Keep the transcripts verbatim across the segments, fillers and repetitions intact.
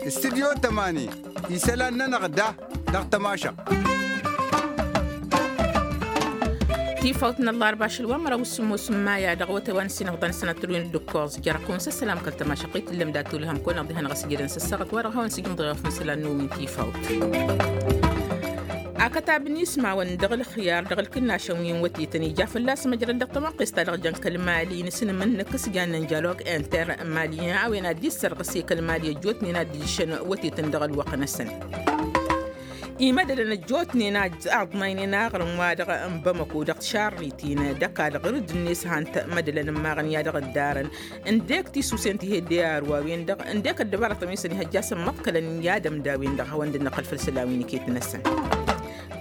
Studyo tămani. Isălan-nănăɣ da dăɣ-tămašăɣt. Tifawt n-ăllarba ašăl wa măraw s-sǝmmos n-maya dăɣ-wătăy wa n-sinăɣdan sănătălwen d-ǝkkoẓ jer-kăwăn s-ăssălam kăl-tămašăɣt i-tǝllăm dat-tulhăm kăwăn-ăɣ dihen ɣas ijădăn s-ăssaɣăt wa dăɣ-hawăn s-ijǝmḍăɣ făn isălan n-umin tifawt. Akătab n-ismawăn dăɣ-ǝlxǝyar dăɣ-ǝlkǝnnašăn wi n-wătetăn ija fălla-s măjrăd dăɣ-tămoqqes ta dăɣ-jăn kăl-mali n-asǝnǝmǝnnǝk s-jannen jalog inter-mali a-wen ad-dd-issărɣǝs i-kăl-mali ăjjootnen ad-dd-iššăn wătetăn dăɣ-ălwăqq-năsăn. Imădălăn ăjjootnen a aḍnaynen aɣrǝm-wa-dăɣ n-bamăko dăɣ-tišarritin d-ăkall ɣur-dd-net han-t mădălăn ǝmmaɣăn i-ad-dăɣ-ǝddarăn ǝndek tisusen ti hedde arwa-wen-dăɣ ǝndek ăddăbarătăn wi s-ănihăjja a-s ămmăḍkălăn i-ad-ămda-wen-dăɣ hawăn-dd-năqqăl făll-isălan wi n-iket-năsăn.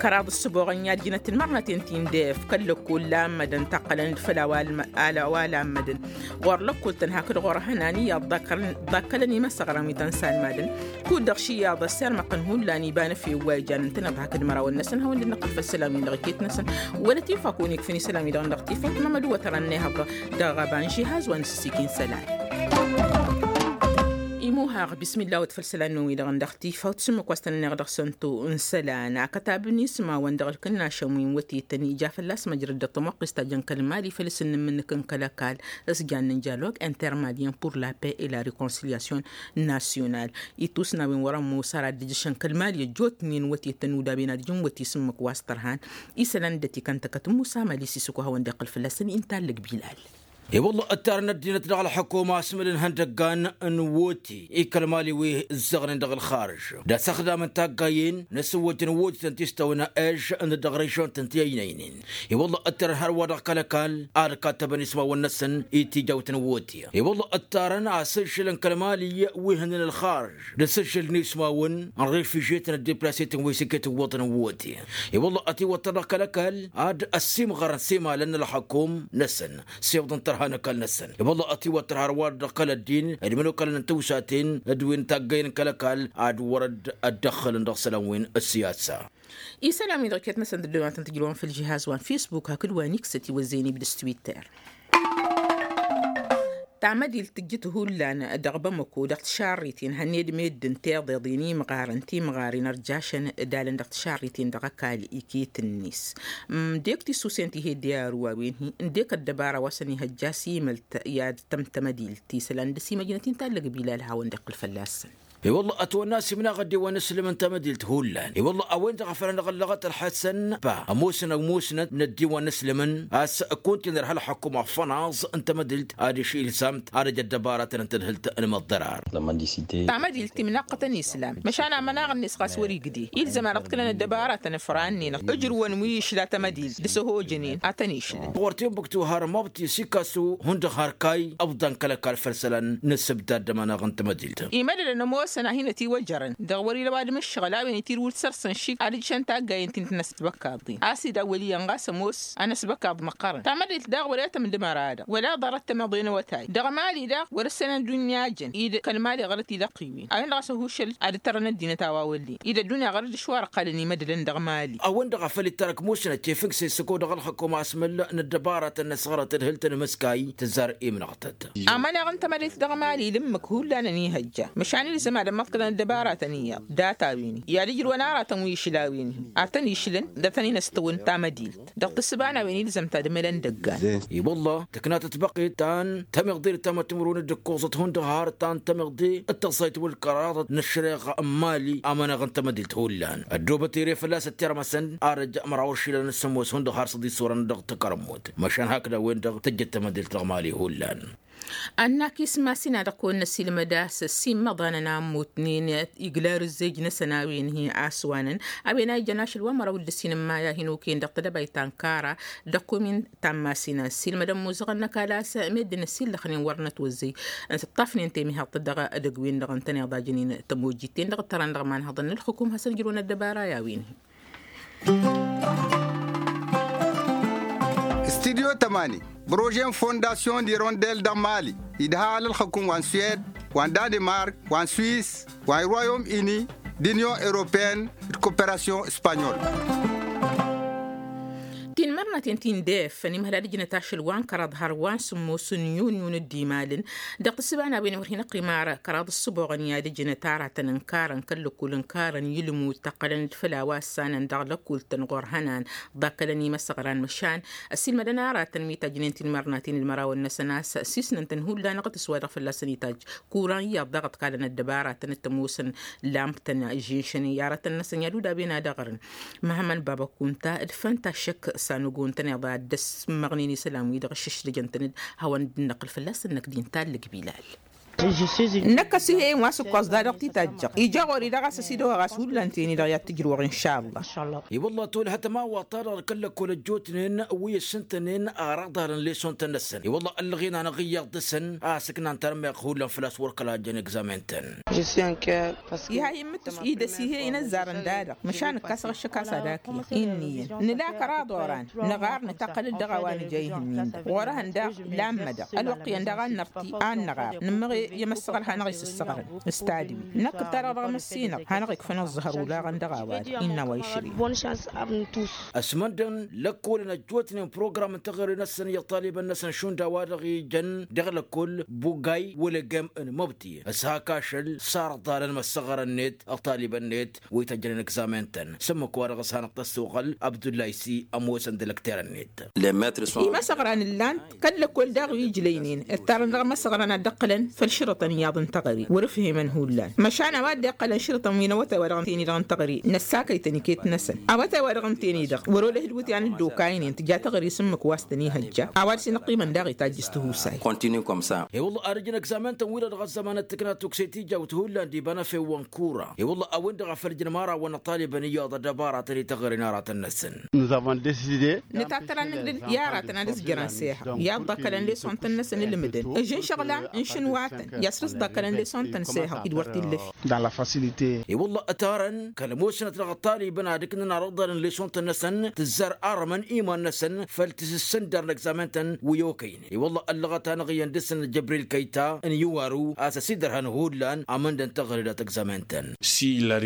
Kăraḍ ǝssǝboɣăn i-ad-jǝnăt ǝlmărnăten ti n-def kăl-lăkkol la ămmădăn taqqălăn-dd făll-a-wa ămmădăn ɣur-lăkkol-tăn hakd ɣur-hănan iyyăḍ ḍakkălăn imăsăɣrăn wi tăn-salmadăn. Kud-dăɣ šiyyaḍ ăssirmăɣ-tăn hullan iba n-efew wa ijan ǝntăneḍ hakd imărawăn-năsăn hawăn-dd-năqqăl făll-isălan-win-dăɣ iket-năsăn. Wăla tifak wi n-ikfǝn isălan-wi-dăɣ dăɣ-tifak mămăd wătărăn n-ehăḍ dăɣ-ăba n-žihaz wa n-sǝssikǝy n-isălan. Imuhaɣ bismillah wăt făll-isălan-wi-dăɣ dăɣ-tifak tǝsǝmmǝk wa s-tăn-ănneɣ dăɣ-sănto n-isălan akătab n-ismawăn dăɣ-ǝlkǝnnašăn wi n-wătetăn ija fălla-s măjrăd dăɣ-tămoqqes ta jăn kăl-mali făll-asǝnnǝmmǝnnǝk n-kăl-ăkall s-jannen jalog intermalien pour la paix et la reconciliation national. Itusnawen wăr-ămoos ar ad-dd-ǝjǝšăn kăl-mali ăjjootnen wătetăn udaben ad-ǝjǝn wăt isǝmmǝk wa s-tărhan isălan d-ătikăn tăkăt n-musa mali s-isǝkwa hawăn-dd-iqqǝl fălla-săn inta ăllăg bilal. I-wălla ăttarăn ăddinăt dăɣ-ălḥăkuma asmǝl n-ihăndăggan n-woti i-kăl-mali wi ǝzzăɣnen dăɣ-ălxarǝž d-asăxdam n-taggayen n-asǝwwăjăn wotităn ti s-tăwna ež n-dăɣ-režion-tăn ti ăynăynen. I-wălla ăttarăn hărwa dăɣ-kăl-ăkall ad-kattăbăn ismawăn-năsăn i-tijawt n-woti. I-wălla ăttarăn asǝžžǝl n-kăl-mali wi hǝnnăn ălxarǝž d-asǝžžǝl n-ismawăn n-refižyetăn d-deplasetăn wi s-iket ǝwwăḍăn n-woti. I-wălla ătiwăttăr dăɣ-kăl-ăkall ad-ăssimɣărăn s-imalăn n-ălxăkum-năsăn s-iwḍăn tărha n-ăkall-năsăn. I-wălla ătiwăttăr hărwa dăɣ-kăl-ăddin d-imănokalăn n-tăwsaten d-wi n-taggayen n-kăl-ăkall ad-wăr-dd ăddăxxălăn dăɣ-isălan wi n-ăssiyasa. Isălan-wi-dăɣ iket-năsăn d-ăddooman tăn-tǝjrǝwăn făll-žihaz wa n-fisbuk hakd wa n-iksăt iwăzzeyăn ibdǝs twitter. Tamădilt tǝjjǝt hullan dăɣ-bamăko dăɣ-tišarriten hănned meddǝn tiḍeḍen imɣarăn timɣaren ărjašăn d-alăn dăɣ-tišarriten dăɣ-ăkall iket-net. Ǝndek tisusen ti hedde arǝw a-wen-hi ǝndek ăddăbara wa s-ănihăjja s-imălt i-ad-tăm tamădilt isălan dăr-s imăjnăt-in tallăg bilal hawăn-dd-iqqǝl fălla-săn. I-wălla ătwănna a-s imnaɣ ăddiwăn n-aslǝm n-tamădilt hullan. I-wălla a-wen-dăɣ a făl anăɣ-ăllăɣăt ălḥăsăn pa ămoosăn ămoosnăt n-ăddiwăn n-aslǝmăn a-s kunta-in ărha ălxăkum afănaẓ n-tamădilt adiš ilzam-t ad-ăj ăddăbaratăn n-tadhǝlt n-imǝḍḍărar. Tamădilt imnaɣ-tăn islam măšan amănaɣ-net ɣas wăr-igdǝy ilzăm ad-dăɣ-t kălăn ăddăbaratăn ǝfrannen ǝjrǝwăn wi išla tamădilt d-asăhojănen ad-tăn-išlăn. Ɣur-timbuktu har mabti s-ikasu hundăɣ har kay ǝbḍan kăl-ăkall făll-isălan n-ǝssǝbdad d-amănaɣ n-tamădilt. Imădălăn ămoosăn a hin-ătiwăjărăn dăɣ-wăr-ila ăwadǝm n-ǝššăɣǝl a-wen itirǝw d-săr-săn šik ad-ǝjšăn taggayen ti n-tinăsbăkaḍ-in a-s idawwăl iyyăn ɣas ămoos anăsbăkaḍ măqqărăn tamădilt daɣ wăr-e-tăm d-măra-dăɣ wăla ḍarăt tămeḍe n-awătay dăɣ-mali daɣ wăr-ǝssenăn ăddunya jăn-dd kăl-mali ɣărăt ilăqqiwen a-wen-dăɣ a-s ăhušăl ad-ǝttărăn ăddinăt a-wa wăllen-i d-ăddunya ɣărăt d-ašwa ărqalăn imădălăn dăɣ-mali. A-wen-dăɣ a făl ittarăk musnăt tefǝgse s-ăkko dăɣ-ălxăkum asmǝl n-ăddăbaratăn n-asɣărăt d-hǝl-tăn ămǝskay tǝzzar imnăɣtăt. Amănaɣ n-tamădit dăɣ-mali d-ǝmmǝk hullan ănihăjja măšan ilzăm ad-ămmăḍkălăn ăddăbaratăn iyyăḍ data-wen-i i-ad-ǝjrǝwăn aratăn wi išlawen-hi ad-tăn-išlăn d-ad-tăn-in-ăstăwăn tamădilt dăɣ-tǝssǝba n-a-wen ilzăm ta d-emălăn dăggan. I-wălla tǝknatăt băqqet ta n-tămiḍe d-tamătimrun d-ǝkkoẓăt hundăɣ har ta n-tămiḍe d-tăẓẓayt wăr-kăraḍăt n-ăššăreɣa n-mali amănaɣ n-tamădilt hullan ăddoobăt ere fălla-s ăttirmăsăn arăj măraw ăššilăn s-ămoos hundăɣ har s-ăḍisurăn dăɣ-takărămmut măšan hakd a-wen-dăɣ tăjjăt tamădilt dăɣ-mali hullan. Ănn-ak ismasina dăɣ-kăwăn-năsilmăd a-s ăssimmăḍanăn a ămmutnen iglar ǝzzej-năsăn a-wen hi-aswanăn a-wen a ijăn ašăl wa măraw d-ǝssin n-maya hin-okăyăn dăɣ-tedăbayt ta n-kara dăɣ-komin ta n-masina ăssiilmădăn muzăɣăn n-ăkall a-s meddǝn ăssiillăxnen wăr nătwăzzăy ǝnta ǝṭṭafnen temihăḍt dăɣ-edăgg-wen-dăɣ ǝntăneḍ a jănen tămojjit-ten-dăɣ ǝttărăn dăɣ-imanhăḍăn n-ălxukum hasăn-ǝjrǝwăn ăddăbara i-a-wen-hi. Studyo tămani prože n-fondasyon d'irondel dăɣ-mali idha alălxăkum wa n-suwed wa n-danemark wa n-suwis wa n-royom ini d-inyon europeyăn d-koperasyon espanyol. Tinmărnaten ti n-def ănimhăl ad-ǝjnăt ašăl wa n-kăraḍ har wa n-sǝmmos n-yun yun dd-imalăn. Dăɣ-tǝssǝba n-a-wen wăr hin-ăqqim ara kăraḍ ǝssǝboɣăn i-ad-ǝjnăt aratăn n-karăn kăl-lăkkul n-karăn i-ǝlmud tăqqălăn-dd făll-a-wa ăssanăn dăɣ-lăkkul-tăn ɣur-hănan ḍakkălăn imăsăɣran măšan ăssiilmădăn aratăn wi tajjnen tinmărnaten d-imărawăn-năsăn a-s sisnăn-tăn hullan ɣǝtǝs wa dăɣ-fălla-săn itajj kuran iyyăḍ daɣ ǝḍkalăn ăddăbaratăn d-tămoosăn lamp-tăn žinšăn i-aratăn-năsăn i-ad-udaben ad-ăɣrǝn. Măhămmăn baba kunta d-fănta šăkk s-anugo n-tăneḍa d-ăsmăɣnen isălan-wi-dăɣ ǝššǝšlăjăn-tăn-dd hawăn-dd-năqqǝl fălla-săn năkk d-inta ăllăg bilal. Năkk ăsihe-in wa s-ǝkkoẓ da-dăɣ titaǧjăɣ ija ɣur-i dăɣ-a-s ăsidăwăɣ a-s hullan teni-dăɣ i-ad-tǝjrǝwăɣ inša ăllah. I-wălla tolhăt ămawaḍ-ta-dăɣ d-kăl-lăkkol ăjjootnen wi ǝssǝntănen aɣrăḍ-alăn lesson-tăn-năsăn i-wălla ăllăɣen-anăɣ iyyăḍ dăr-săn a-s ǝknan tarmeɣt hullan făl-a-s wăr kăla ăjjăn egzamen-tăn. Iha immǝtǝs-wi d-ăsihe-in ăzzarăn da-dăɣ măšan ǝkkasăɣ ǝššǝk a-s ad-akǝyăɣ. Inniyăn nǝla kăraḍ oran nǝɣar nǝtaqqăl-dd dăɣ-a-wa nǝja ihǝnnin-dăɣ ɣur-ehăn daɣ lammădăɣ ălwăqq iyyăn daɣ ad-nărti ad-nǝɣar nǝmmăɣ i-emăssăɣăl hanăɣ-isǝssăɣrăn. S-tadǝwit năkk ǝttarăɣ dăɣ-măssinăɣ hanăɣ-ikfăn ăẓẓăhăr olaɣăn dăɣ-a-wa-dăɣ innă a-wa išrǝy. Ăsmăndăn lăkkolăn ăjjootnen program n-teɣăre-năsăn i-ăṭṭalibăn-năsăn šund a-wa-dăɣ ijăn dăɣ-lăkkol bugay wăla egem n-măbti s-hak ašăl sarăḍalăn măssăɣărăn-net ăṭṭalibăn-net wi tăjjănen egzamen-tăn s-ǝmmǝk-wa-dăɣ s-hanăɣ-tăssuɣăl abdullay s-i ămoosăn d-ălăkterăn-net. Imăsăɣran ǝllan-t kăl-lăkkol daɣ wi ǝjlăynen ǝttarăn dăɣ-imăsăɣran ad-dd-ǝqqǝlăn făll-šărǝṭăn iyyăḍ n-teɣăre wăr-ǝfhemăn hullan măšan a-wa dd-iqqălăn šărǝṭăn wi n-awătay-wa-dăɣ ǝntăne-dăɣ n-teɣăre năssakăy-tăn iket-năsăn awătay-wa-dăɣ ǝntăne-dăɣ wăr-olăh d-iwǝtyan dd-okaynen tǝja teɣăre s-ǝmmǝk wa s-tăn-ihăjja a-wa dăr-s inăqqimăn daɣ itajj s-tihusay. I-wălla ad-ǝjǝn egzamen-tăn-wi-dăɣ dăɣ-ăzzăman d-tǝkna tukse tijawt hullan d-iba n-efew wa n-kura i-wălla a-wen-dăɣ a făl ǝjǝnăm ara wa n-ăṭṭalibăn iyyăḍ ăddăbara tăn-ităɣăre n-aratăn-năsăn. Nǝtattăr-anăgg-dd i-aratăn ad-ǝzjărăn s-ehăɣ iyyăḍ ḍakkălăn lesson-tăn-năsăn ǝlmǝdăn ǝžǝn šăɣla n-išǝnwa-tăn i-ad-săr-s ḍakkălăn lesson-tăn s-ehăɣ-dd wăr t-illăfi. I-wălla ătarăn kăl-ămoosnăt dăɣ-ăṭṭalibăn ad-ǝknǝn arăḍălăn lesson-tăn-năsăn tǝzzar armăn iman-năsăn făll-tisǝssǝndăr n-egzamen-tăn wi okăynen i-wălla ăllăɣăt-anăɣ iyyăn dăr-săn jăbril kăyta n-iwaru a-s ăsidărhăn hullan amăndăn teɣăre dat-egzamen-tăn.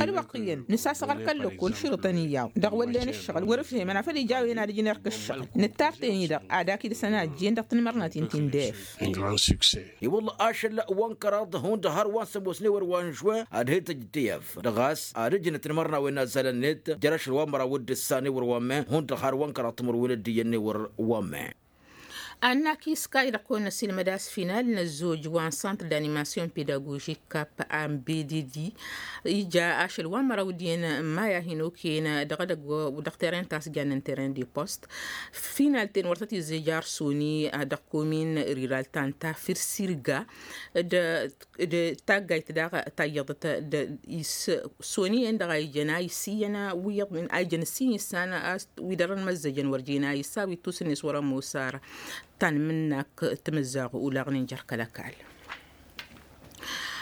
Ălwăqq iyyăn nǝsasăɣăl kăl-lăkkol šărǝṭăn iyyăḍ dăɣ-wăllen ǝššăɣǝl wăr-ǝfhemăn afăl ija a-wen ad-ǝjǝn erk ǝššăɣǝl nǝttar-ten-i-dăɣ ad-ak-dd-săn a ǝjjen dăɣ-tinmărnaten ti n-def. I-wălla ašăl wa n-kăraḍ hundăɣ har wa n-sămoosne wăr wa n-žuwen ad-he-tăj tiyăf dăɣ-a-s ad-ǝjǝnăt n-imărnawen n-azzalăn-net jer-ašăl wa n-măraw d-ǝssan ewăr wa n-men hundăɣ har wa n-kăraḍ timǝrwen d-iyyăn ewăr wa n-men. Annak iskay dăɣ-kăwăn-năsilmăd a-s final n-ăzzoj wa n-santr d-animasyon pedagožik kap a n-bededi ija ašăl wa n-măraw d-iyyăn n-maya hin-okăyăn dăɣ-edăgg dăɣ-teren ta s-jannen teren de post. Final-ten wăr tăt-izzej arsoni dăɣ-komin riral ta n-tafir sirga d-taggayt daɣ tayyăḍăt d-soni-en dăɣ-a ijăn a isiyyăn wi iyyăḍ a ijăn ǝssin issan a-s wi dăr-ănmăzzăjăn wăr jen a issa wi t-tusǝnnes wăr-ămoos ara. Tanmǝnnak timǝzzaɣ ulaɣnen jer-kăl-ăkall.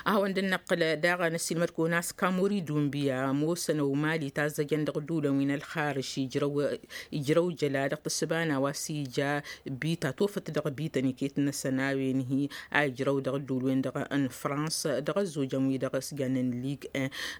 A hawăn-dd-năqqǝl daɣ năssiilmăd-kăwăn a-s kamori dunbiya ămoosăn ăwmali tazzăjăn dăɣ-ǝddǝwǝlăn wi n-ălxarǝš ijrăw jăla dăɣ-tǝssǝba n-a-wa s-ija bita tofăt dăɣ-bităn iket-năsăn a-wen hi-a ijrăw dăɣ-ǝddǝwǝl-wen-dăɣ n-frans dăɣ-ăzzojăn wi-dăɣ s-jannen lig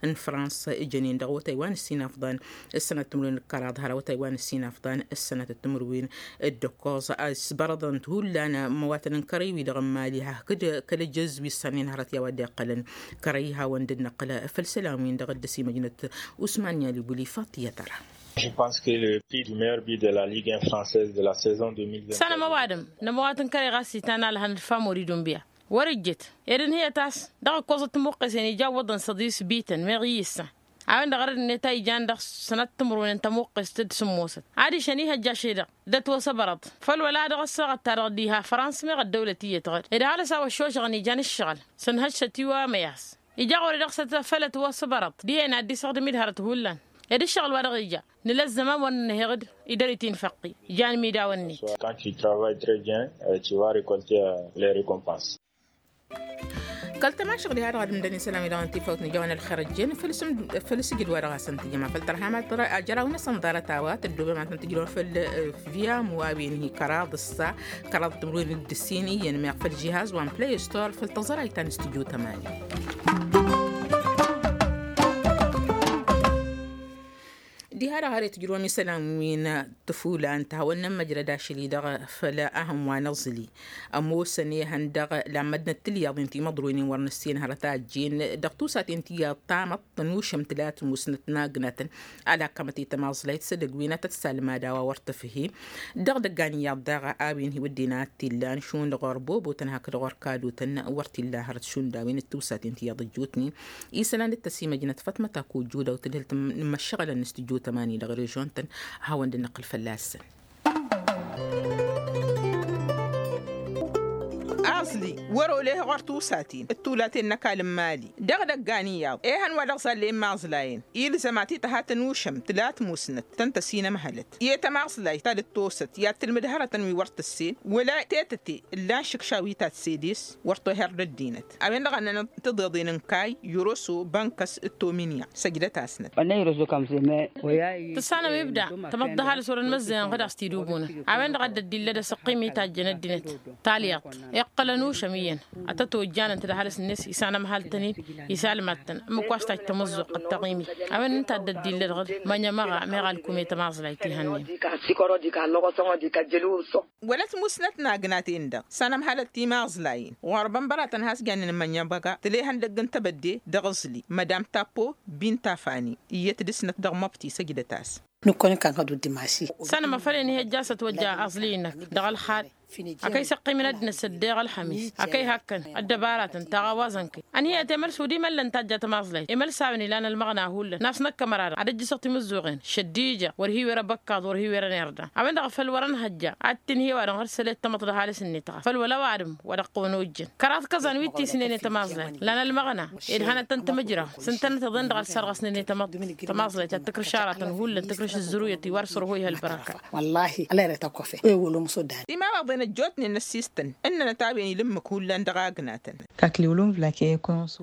n-frans ǝjănen dăɣ-awătay wa n-ǝssin afḍan ǝssănăt timǝrwen d-kăraḍ har awătay wa n-ǝssin afḍan ǝssănăt timǝrwen d-ǝkkoẓ a-s bărăḍăn-t hullan ămmăwatăn n-kărăy-wi-dăɣ n-mali hakd kăl-ejăz wi ǝssannen hărăt i-a-wa dd-iqqălăn kărăy hawăn-dd-năqqǝl făll-isălan-win-dăɣ dd-ăsimăjnăt usman yalibuli faṭiyăt ăra. Je pense que le prix du meilleur but de la ligue un française de la saison deux mille vingt. Săn ămăwadǝm n-ămăwat n-kărăy ɣas itan alhăn d-famori dunbiya wăr-ǝjjǝt ed ǝnhǝyăt a-s dăɣ-ǝkkoẓăt tămuqqesen ija ǝwwăḍăn săḍis bităn meɣ iyyǝssa a-wen-dăɣ ărăd-net a ijan dăɣ-sănat timǝrwen n-tămuqqest d-sǝmmosăt adiš ănihăjja šedăɣ d-ătwăsăbărăḍ făl wăla dăɣ-ăssaɣăt-ta-dăɣ diha frans meɣ ăddăwlăt iyyăt ɣăd ed ăhalǝs a-wa ăššožăɣăn ijan ǝššăɣǝl sănhăššăt i-wa măyas ija ɣur-i dăɣ-săt făl ătwăsăbărăḍ dihen ad-dd-isăɣdǝm-dd hărăt hullan ed ǝššăɣǝl wa dăɣ-ija nǝla ăzzăman wăr nǝnhăyăɣ-dd idăr-iti n-făqqi ijan midawăn-net. Quand tu travailles très bien, tu vas récolter les récompenses. Kăl-tămašăɣ diha dăɣ-ad-ǝmdăn isălan-wi-dăɣ n-tifawt n-ija wa n-ălxer ăjjeen făll-sǝjǝd wa dăɣ-hasăn-tǝjjăm afăl tărha ma tăra ajăraw-năsăn ḍarăt a-wa tăddoobem ad-tăn-tǝjrăwăn făll-viyamu a-wen hi-kăraḍ ǝssa kăraḍ timǝrwen d-ǝssin iyyăn meɣ făll-žihaz wa n-play store făll-tăẓrayt ta n-studyo tămani. Ara hărăt jromǝ sălam win tăfula n-tahăwăn n-măjrăd ašăl-i dăɣ-făla ahăn wa n-aẓli ămoosăn ehăn dăɣ-lammădnăt tǝlyaḍin timăḍroynen wăr năssin hărăt a ăjjeen dăɣ-tusaten tiyyăḍ tamăḍt tănušăm tǝlat musnăt n-agnatăn. Alăkkămăt i-tămaẓlayt s-edăgg wi n-atăt salmad a-wa wăr tăfhe dăɣ-dăggan iyyăḍ daɣ a-wen hi-wădden a t-illan šund ɣur-bobotăn hakd ɣur-kadotăn wăr t-illa hărăt šund a-wen d-tusaten tiyyăḍ ăjjootnen. Isălan d-tăsimăjnăt fătmăt akojju daw tǝdhǝl n-imăššăɣălăn s-tǝjjutămani dăɣ-režon-tăn. Hawăn-dd-năqqǝl fălla-săn. Aẓli wăr-oleh ɣur-tusaten d-tulaten n-ăkall n-imali dăɣ-idăggan iyyăḍ ehăn wa dăɣ-zallen imaẓlayen ilzăm ad-t-tăha tănušăm tǝla tmusnăt tăn-tăsinămhălăt i-tămaẓlayt ta dd-tosăt i-ad-tǝlmǝd hărătăn wi wăr tǝssen wăla tetăte ǝllan šǝkša wi ta tǝsses wăr toher d-ăddinăt. A-wen-dăɣ a ǝnnăn tǝḍeḍen n-kayy yăroso bănkăs d-tominya săjdăt-asnăt. Tǝssanăm ibda tamăḍt d-ăhalǝs wăren măzzăyăn ɣǝd a-s t-idubunăn. A-wen-dăɣ a dd-ăddillăd asǝqqim itajjăn ăddinăt talyaḍt iqqălăn ušăm iyyăn ad-tăt-ojjanăn-t d-ăhalǝs-net isanămhal-tăn-in isalmad-tăn ǝmmǝk wa s-tajj tamǝzzuɣt d-taɣimit. A-wen ǝnta a dd-ăddillăd ɣǝd mănămăɣa meɣ alkum i-tămaẓlayt ihănnen. Wăla tmusnăt n-agnaten-dăɣ s-anămhalăt timaẓlayen ɣur-bănbăratăn has-jannen mănjăbăga tǝla ihăndăgg n-tebădde dăɣ-aẓli mădam tappo bintafani iyyăt dăɣ-snăt dăɣ-măbti săjdăt-as. Nǝkkăwăn-in kan kăd-uddim a-s-i. Sănămăfăl i-ănihăjja a-s ătwăjja aẓli-năk dăɣ-ălxal. Akăy săqqimăn ăddinăt s-ăddeɣ ălxămis akăy hakkăn ăddăbaratăn taɣawaẓăn-kăy. Ănhăyăt emălsu d-imăllăn tajja tămaẓlayt emălsawen ilan ălmăɣna hullan n-a-s năkk ămăra-dăɣ ad-ăjjǝsăɣ timǝzzuɣen šăddija wăr hi-wăr abăkkaḍ wăr hi-wăr ănerda. A-wen-dăɣ făl wăr-ănhăjja ad-t-inhăy ăwadǝm ɣǝr-sălet tamăḍt d-ăhalǝs-net ɣas făl wăla ăwadǝm wa dăɣ-kăwăn ojjăn kăraḍ kăẓan wi t-isnen i-tămaẓlayt lan ălmăɣna. Ed hanăt-tăn-tǝmǝjraw s-ǝntănăt iḍen-dăɣ ad-sarɣăsnen i-tamăḍt tămaẓlayt ad-tǝkrǝš aratăn hullan tǝkrǝš ǝzzǝruyăt-i wa d-sărhoyha ălbărăka. Wăllahi ălăyrăt ăkkofe. Imawaḍen ăjjootnen n-ăssistăn ǝnnănăt a-wen ila ǝmmǝk hullan dăɣ-agnatăn.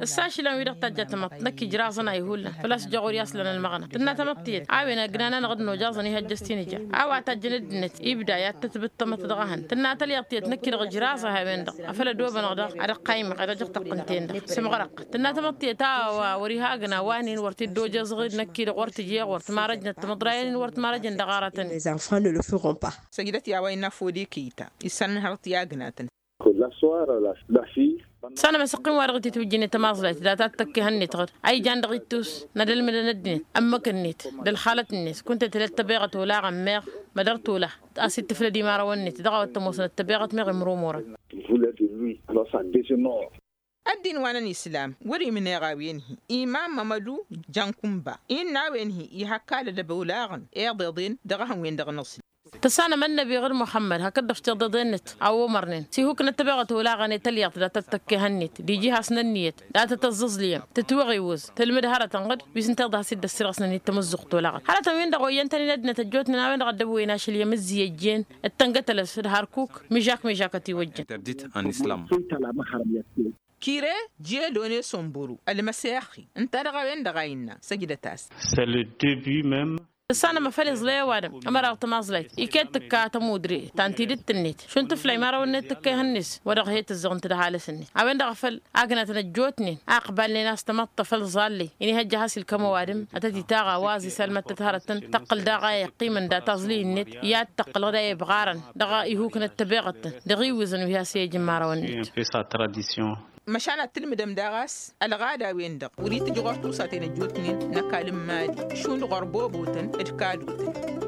Ǝssa ašlan-wi-dăɣ tajja tamăḍt năkk ijraẓăn a ihullan făl-a-s jăɣ wăr i-aslan ălmăɣna tǝnna tamăḍt tiyyăt a-wen ăgnanan ɣǝd n-ojaẓăn ihăjjăs tinǝja. A-wa tajjăn ăddinăt ibda i-ad-tătbǝt tamăḍt dăɣ-ehăn tǝnna talyaḍt tiyyăt năkk-i-dăɣ ijraẓ a-wen-dăɣ. Afăl ădobănăɣ daɣ ad-ăqqaymăɣ ad-ăjăɣ tăqqǝnte-en-dăɣ s-amăɣrăq tǝnna tamăḍt tiyyăt a-wa wăr-iha agna wa-nin wăr t-dd-ojăẓ ɣǝd năkk-i-dăɣ wăr tǝj iɣwăr tǝmarăjnăt tǝmǝḍrayen-in wăr tǝmarăjăn dăɣ-aratăn. Săjdăt i-a-wa innă fodikita issanăn hărăt i-agnatăn. Sănămăsăqqim wa dăɣ-t-itwǝjjǝn i-tămaẓlayt data d-tăkk ihăn-net ɣǝd a ijan dăɣ-ittus n-ad-ălmǝdăn ăddinăt ămmǝk-net d-ălxalăt-net kunta tǝlăt tăbeɣăt olaɣăn meɣ mădăr tolăɣ a-s ittǝflăd imărawăn-net dăɣ-a-wa t-ămoosnăt tăbeɣăt meɣ imrumurăn. Ăddin wa n-ănislam wăr-imneɣ a-wen-hi imam mămădu jănkunba innă a-wen-hi ihăkkalăd ăbolaɣăn iḍeḍen dăɣ-ehăn-wen-dăɣ n-aẓli. Tăssanăm ănnăbi ɣǝr muxămmăd hakd-dăɣ s-tiḍeḍen-net a omărnen s-ihuknăt tăbeɣăt olaɣăn i-talyaḍt dat-tăt-tăkkehăn-net d-iji has-nănniyăt dat-tăt-ăẓẓǝẓlǝyăm tǝtwăɣiwǝẓ tǝlmǝd hărătăn ɣǝd wi s-ǝnta iḍa has-dd-ăssirɣăsnen i-tamǝzzuɣt olaɣăn hărătăn-win-dăɣ oyyăn-tăn-in ăddinăt ăjjootnen a-wen-dăɣ ăddăbwăyăn ašăl i-amǝzzǝy ăjjeen d-tăngătălăs d-hărkuk mižak mižak ătiwăjjăn. Interdit en islam. Kire jedone somburu ălmăsexi ǝnta-dăɣ a-wen-dăɣ a innă săjdăt-as. Tăssanăm afăl iẓlăy ăwadǝm ămăra dăɣ-tămaẓlayt iket tǝkka tămudre ta n-tidǝt-net šund tǝfla imărawăn-net tǝkka ihăn-net wa dăɣ-he-tǝzzăɣ ǝnta d-ăhalǝs-net. A-wen-dăɣ afăl agnatăn ăjjootnen a ăqbalnen a-s tamăḍt afăl ẓallăy inihăjja has-ilkăm ăwadǝm ad-tăt-itaɣ a-wa ăẓ isalmăt-tăt hărătăn tăqqǝl daɣ a iqqimăn data aẓlǝy-net i-ad-tăqqǝl ɣǝd a ibɣarăn dăɣ-ihuknăt tăbeɣăt-tăn dăɣ-iwǝẓăn wi has-i-ăj imărawăn-net. Măšan ad-tǝlmǝdăm daɣ a-s ălɣada-wen-dăɣ wăr-itǝjj ɣur-tusaten ăjjootnen n-ăkall n-imali šund ɣur-bobotăn d-kadotăn.